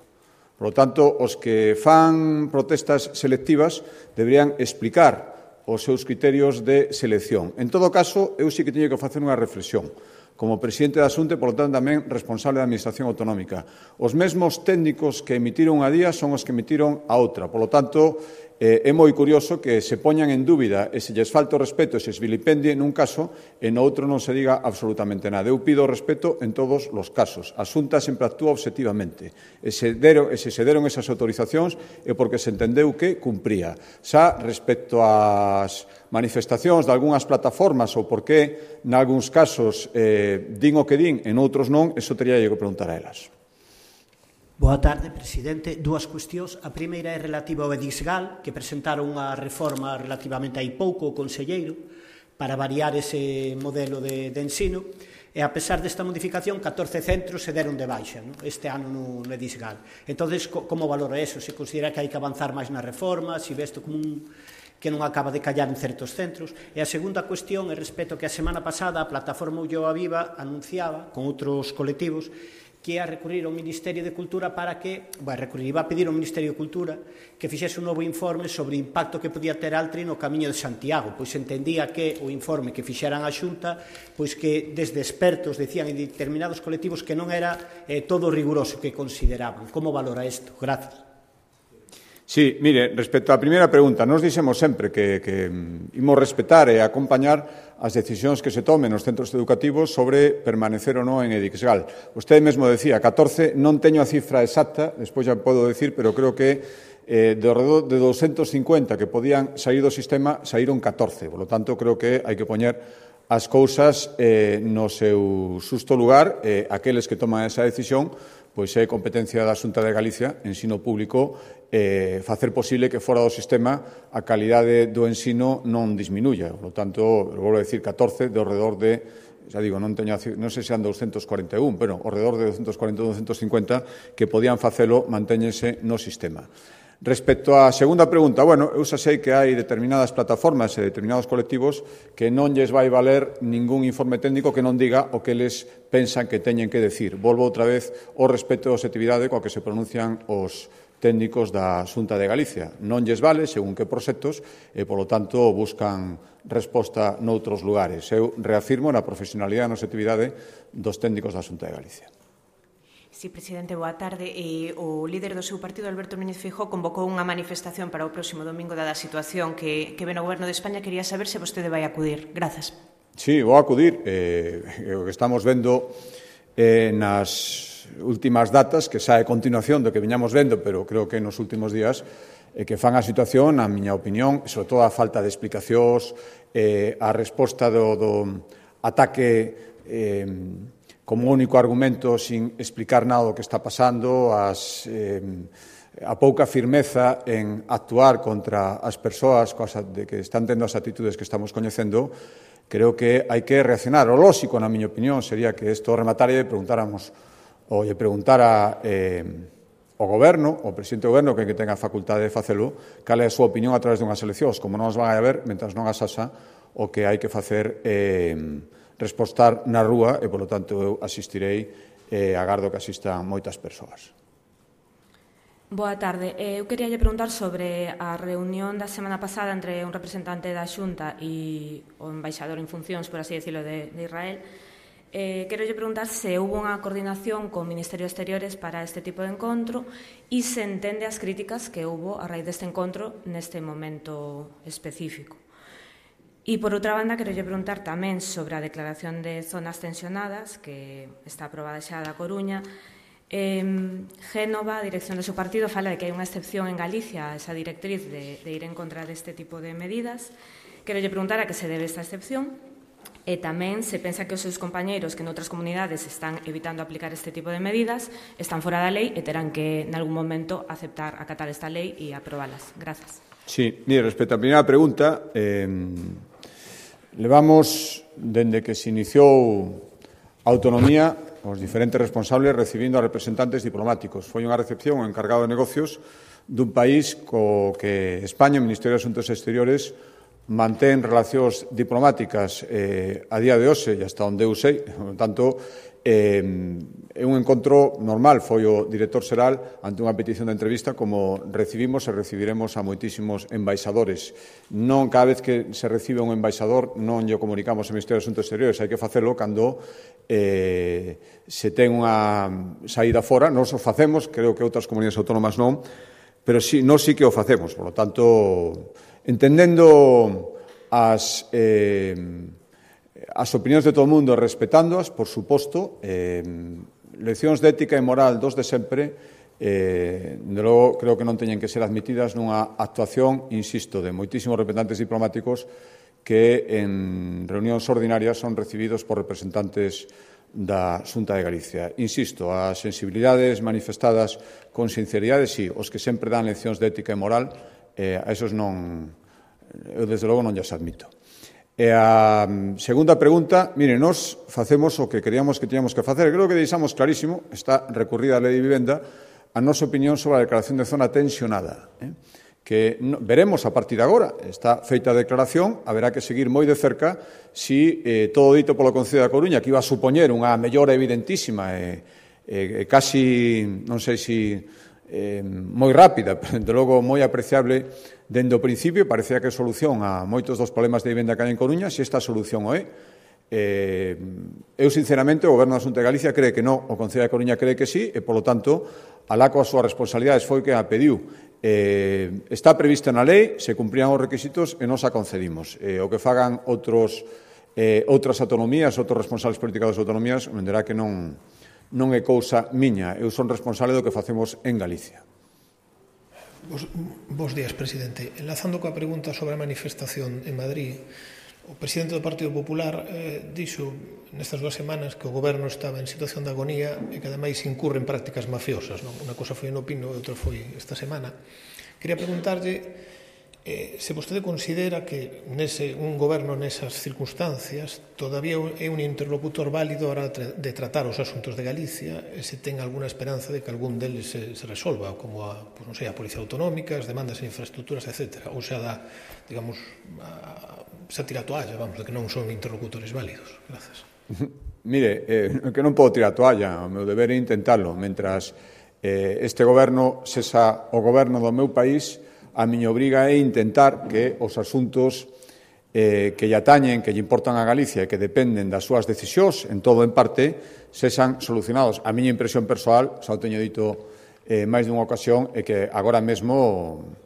Por lo tanto, os que fan protestas selectivas deberían explicar os seus criterios de selección. En todo caso, eu sí que teño que facer unha reflexión. Como presidente da Xunta, por lo tanto, tamén responsable da Administración Autonómica. Os mesmos técnicos que emitiron a día son os que emitiron a outra. Por lo tanto, é moi curioso que se poñan en dúbida e se lles falta o respeto e se vilipendie nun caso e no outro non se diga absolutamente nada. Eu pido respeto en todos os casos. A Xunta sempre actúa obxectivamente. E se se deron esas autorizacións é porque se entendeu que cumpría. Xa, respecto ás manifestacións de algunhas plataformas ou porque, nalgúns casos, din o que din e noutros non, eso teria que preguntar a elas. Boa tarde, presidente. Dúas cuestións. A primeira é relativa ao EDISGAL, que presentaron unha reforma relativamente hai pouco o conselleiro para variar ese modelo de ensino, e a pesar desta modificación, 14 centros se deron de baixa este ano no EDISGAL. Entón, como valora eso? Se considera que hai que avanzar máis na reforma, se ve isto como que non acaba de callar en certos centros? E a segunda cuestión é respecto que a semana pasada a plataforma Ulloa Viva anunciaba, con outros colectivos, que ia recurrir ao Ministerio de Cultura para que, iba a pedir ao Ministerio de Cultura que fixese un novo informe sobre o impacto que podía ter Altri no Camiño de Santiago, pois entendía que o informe que fixeran a Xunta, pois que desde expertos decían en determinados colectivos que non era todo riguroso que consideraban. Como valora isto? Gracias. Sí, mire, respecto á primeira pregunta, nos dixemos sempre que imos respetar e acompañar as decisións que se tomen nos centros educativos sobre permanecer ou non en EDISGAL. Vostede mesmo decía 14, non teño a cifra exacta, despois já podo decir, pero creo que de alrededor de 250 que podían sair do sistema, saíron 14. Por lo tanto, creo que hai que poñer as cousas no seu xusto lugar. Aqueles que toman esa decisión, pois é competencia da Xunta de Galicia, ensino público, facer posible que fora do sistema a calidade do ensino non disminuya. Por lo tanto, volvo a decir 14 de ao redor de, xa digo, non sei se han 241, pero ao redor de 240 ou 250 que podían facelo mantéñense no sistema. Respecto á segunda pregunta, eu xa sei que hai determinadas plataformas e determinados colectivos que non lles vai valer ningún informe técnico que non diga o que eles pensan que teñen que decir. Volvo outra vez ao respeto e objetividade coa que se pronuncian os técnicos da Xunta de Galicia. Non lles vale según que proxectos e, polo tanto, buscan resposta noutros lugares. Eu reafirmo na profesionalidade e na objetividade dos técnicos da Xunta de Galicia. Sí, presidente, boa tarde. O líder do seu partido, Alberto Núñez Feijóo, convocou unha manifestación para o próximo domingo dada a situación que ven o Goberno de España. Quería saber se vostede vai acudir. Grazas. Sí, vou acudir. O que estamos vendo nas últimas datas, que xa é continuación do que viñamos vendo, pero creo que nos últimos días, que fan a situación, a miña opinión, e sobre todo a falta de explicacións, a resposta do ataque como único argumento sin explicar nada do que está pasando, a pouca firmeza en actuar contra as persoas que están tendo as actitudes que estamos coñecendo. Creo que hai que reaccionar. O lóxico, na miña opinión, sería que isto rematara e preguntáramos ou lle preguntara ao Goberno, ao presidente do Goberno, que tenga a facultade de facelo, cal é a súa opinión a través dunhas eleccións. Como non as van a ver, mentras non as haxa, o que hai que facer respostar na rúa e, polo tanto, eu asistirei e agardo que asistan moitas persoas. Boa tarde. Eu quería lle preguntar sobre a reunión da semana pasada entre un representante da Xunta e o embaixador en funcións, por así decirlo, de Israel. Quero lle preguntar se houve unha coordinación co Ministerio de Exteriores para este tipo de encontro e se entende as críticas que houve a raíz deste encontro neste momento específico. E, por outra banda, quero lle preguntar tamén sobre a declaración de zonas tensionadas que está aprobada xa da Coruña. Génova, a dirección do seu partido, fala de que hai unha excepción en Galicia a esa directriz de ir en contra deste tipo de medidas. Quero lle preguntar a que se debe esta excepción e tamén se pensa que os seus compañeiros que noutras comunidades están evitando aplicar este tipo de medidas están fora da lei e terán que, en algún momento, acatar esta lei e aprobalas. Grazas. Sí, mire, respecto á primeira pregunta, levamos, dende que se iniciou a autonomía, os diferentes responsables recibindo a representantes diplomáticos. Foi unha recepción o encargado de negocios dun país co que España, o Ministerio de Asuntos Exteriores, mantén relacións diplomáticas a día de hoxe e hasta onde eu sei. Por tanto, é un encontro normal. Foi o director xeral ante unha petición de entrevista como recibimos e recibiremos a moitísimos embaixadores. Non cada vez que se recibe un embaixador non lle comunicamos ao Ministerio de Asuntos Exteriores, hai que facelo cando se ten unha saída fora. Nós o facemos, creo que outras comunidades autónomas non, pero nós sí que o facemos. Por lo tanto, entendendo as opinións de todo o mundo e respetándoas, por suposto, leccións de ética e moral dos de sempre, de logo, creo que non teñen que ser admitidas nunha actuación, insisto, de moitísimos representantes diplomáticos que en reunións ordinarias son recibidos por representantes da Xunta de Galicia. Insisto, as sensibilidades manifestadas con sinceridade, sí, os que sempre dan leccións de ética e moral, a esos non, eu desde logo non lles admito. E a segunda pregunta, mire, nós facemos o que queríamos que tiñamos que facer. Creo que deixamos clarísimo, está recurrida a Lei de Vivenda, a nosa opinión sobre a declaración de zona tensionada, que veremos a partir de agora. Está feita a declaración, haberá que seguir moi de cerca si todo dito polo Concello da Coruña, que iba a supoñer unha mellora evidentísima e casi, non sei se moi rápida, pero, de logo, moi apreciable dende o principio, parecía que solución a moitos dos problemas de vivenda que hai en Coruña, se esta solución o é. Eu, sinceramente, o Goberno da Xunta de Galicia cree que non, o Concello da Coruña cree que sí, e, polo tanto, alá coas súas responsabilidades foi que a pediu. Está prevista na lei, se cumprían os requisitos e nos a concedimos. O que fagan outras autonomías, outros responsables políticos das autonomías, entenderá que non é cousa miña. Eu son responsable do que facemos en Galicia. Bos días, presidente. Enlazando coa pregunta sobre a manifestación en Madrid, o presidente do Partido Popular dixo nestas 2 semanas que o goberno estaba en situación de agonía e que ademais incurre en prácticas mafiosas. Unha cosa foi no Pino e outra foi esta semana. Quería preguntarlle se vostede considera que un goberno nesas circunstancias todavía é un interlocutor válido a hora de tratar os asuntos de Galicia e se ten alguna esperanza de que algún deles se resolva, como a Policía Autonómica, as demandas en infraestructuras, etc. Ou xa dá, digamos, xa tira a toalla, vamos, de que non son interlocutores válidos. Grazas. Mire, que non podo tirar a toalla, o meu deber é intentalo. Mentras este goberno sexa o goberno do meu país, a miña obriga é intentar que os asuntos que lle atañen, que lle importan a Galicia e que dependen das súas decisións, en todo en parte, sexan solucionados. A miña impresión persoal, xa o teño dito máis dunha ocasión, é que agora mesmo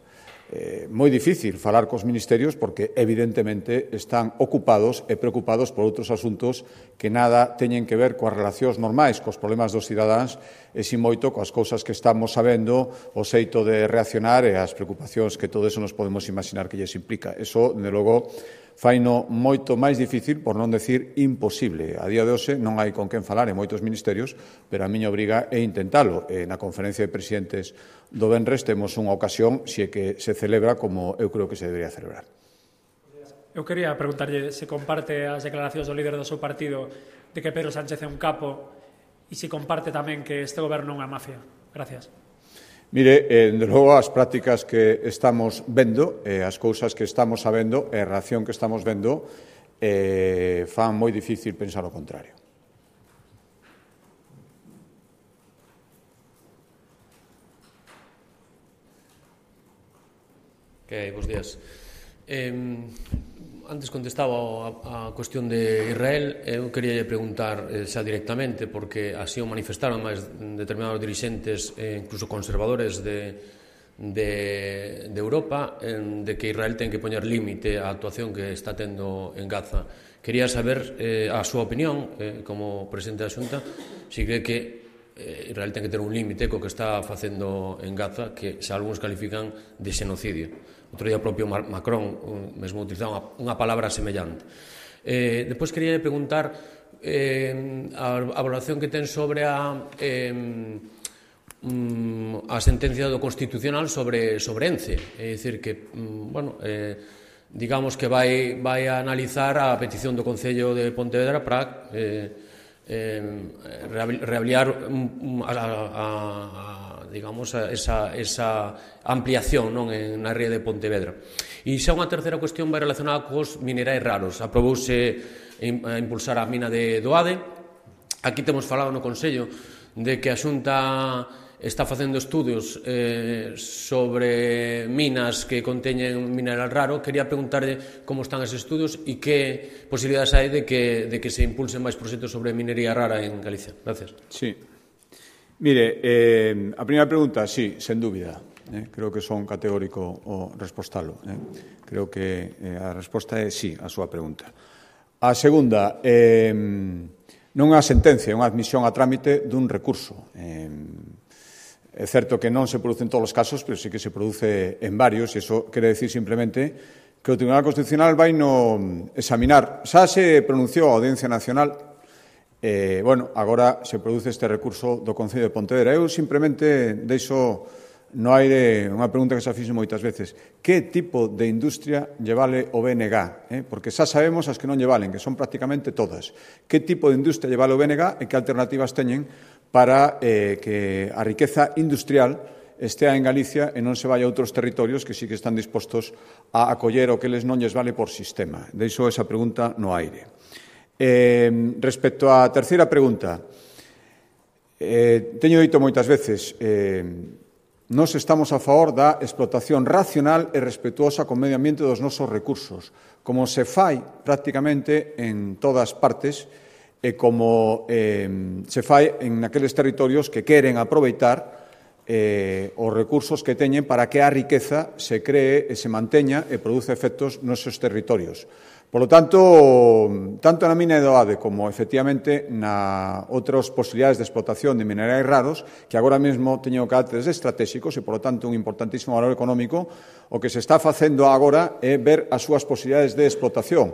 moi difícil falar cos ministerios porque evidentemente están ocupados e preocupados por outros asuntos que nada teñen que ver coas relacións normais, cos problemas dos cidadáns e si moito coas cousas que estamos sabendo, o xeito de reaccionar e as preocupacións que todo eso nos podemos imaginar que lles implica. Eso, de logo, faino moito máis difícil, por non decir imposible. A día de hoxe non hai con quen falar en moitos ministerios, pero a miña obriga é intentalo. Na conferencia de presidentes do venres temos unha ocasión se que se celebra como eu creo que se debería celebrar. Eu quería preguntarlle se comparte as declaracións do líder do seu partido de que Pedro Sánchez é un capo e se comparte tamén que este goberno non é mafia. Gracias. Mire, de logo, as prácticas que estamos vendo, as cousas que estamos sabendo, a reacción que estamos vendo, fan moi difícil pensar o contrario. Bos días. Antes contestaba a cuestión de Israel, eu quería preguntar xa directamente, porque así o manifestaron máis determinados dirixentes, incluso conservadores de Europa, de que Israel ten que poñer límite á actuación que está tendo en Gaza. Quería saber a súa opinión, como presidente da Xunta, se cree que Israel ten que ter un límite co que está facendo en Gaza, que xa algúns califican de xenocidio. Outro día o propio Macron mesmo utilizaba unha palabra semellante. Depois quería preguntar a valoración que ten sobre a sentencia do Constitucional sobre ENCE. É dicir que, digamos que vai a analizar a petición do Concello de Pontevedra para reavaliar digamos, esa ampliación na ría de Pontevedra. E xa unha terceira cuestión vai relacionada cos minerais raros. Aprobouse a impulsar a mina de Doade. Aquí temos falado no Consello de que a Xunta está facendo estudios sobre minas que conteñen mineral raro. Quería preguntarle como están esos estudios e que posibilidades hai de que se impulsen máis proxectos sobre minería rara en Galicia. Gracias. Sí. Mire, a primeira pregunta, sí, sen dúbida. Creo que son categórico o respostalo. Creo que a resposta é sí a súa pregunta. A segunda, non é a sentencia, é unha admisión a trámite dun recurso. É certo que non se produce en todos os casos, pero sí que se produce en varios, e iso quere decir simplemente que o Tribunal Constitucional vai no examinar. Xa se pronunciou a Audiencia Nacional Bueno, agora se produce este recurso do Concello de Pontevedra. Eu simplemente deixo no aire unha pregunta que se fixo moitas veces. Que tipo de industria lle vale o BNG? Porque xa sabemos as que non lle valen, que son prácticamente todas. Que tipo de industria lle vale o BNG e que alternativas teñen para que a riqueza industrial estea en Galicia e non se vai a outros territorios que sí que están dispostos a acoller o que les non lles vale por sistema. Deixo esa pregunta no aire. Respecto á terceira pregunta, teño dito moitas veces, nós estamos a favor da explotación racional e respetuosa con medio ambiente dos nosos recursos, como se fai prácticamente en todas partes e como se fai en aqueles territorios que queren aproveitar os recursos que teñen para que a riqueza se cree e se manteña e produce efectos nos seus territorios. Por lo tanto, tanto na mina de Doade como, efectivamente, na outras posibilidades de explotación de minerais raros, que agora mesmo teñen caracteres estratégicos e, por lo tanto, un importantísimo valor económico, o que se está facendo agora é ver as súas posibilidades de explotación.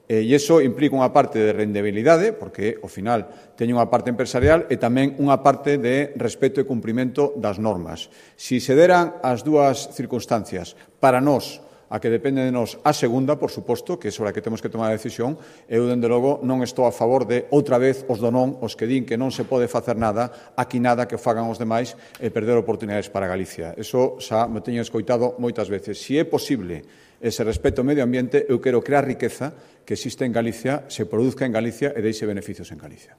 E iso implica unha parte de rendibilidade, porque, ao final, teñen unha parte empresarial e tamén unha parte de respeto e cumprimento das normas. Si se deran as dúas circunstancias para nós, a que depende de nós a segunda, por suposto, que é sobre a que temos que tomar a decisión, eu, dende logo, non estou a favor de, outra vez, os do non, os que din que non se pode facer nada, aquí nada que fagan os demais e perder oportunidades para Galicia. Eso xa me teño escoitado moitas veces. Si é posible ese respeto ao medio ambiente, eu quero crear riqueza que existe en Galicia, se produzca en Galicia e deixe beneficios en Galicia.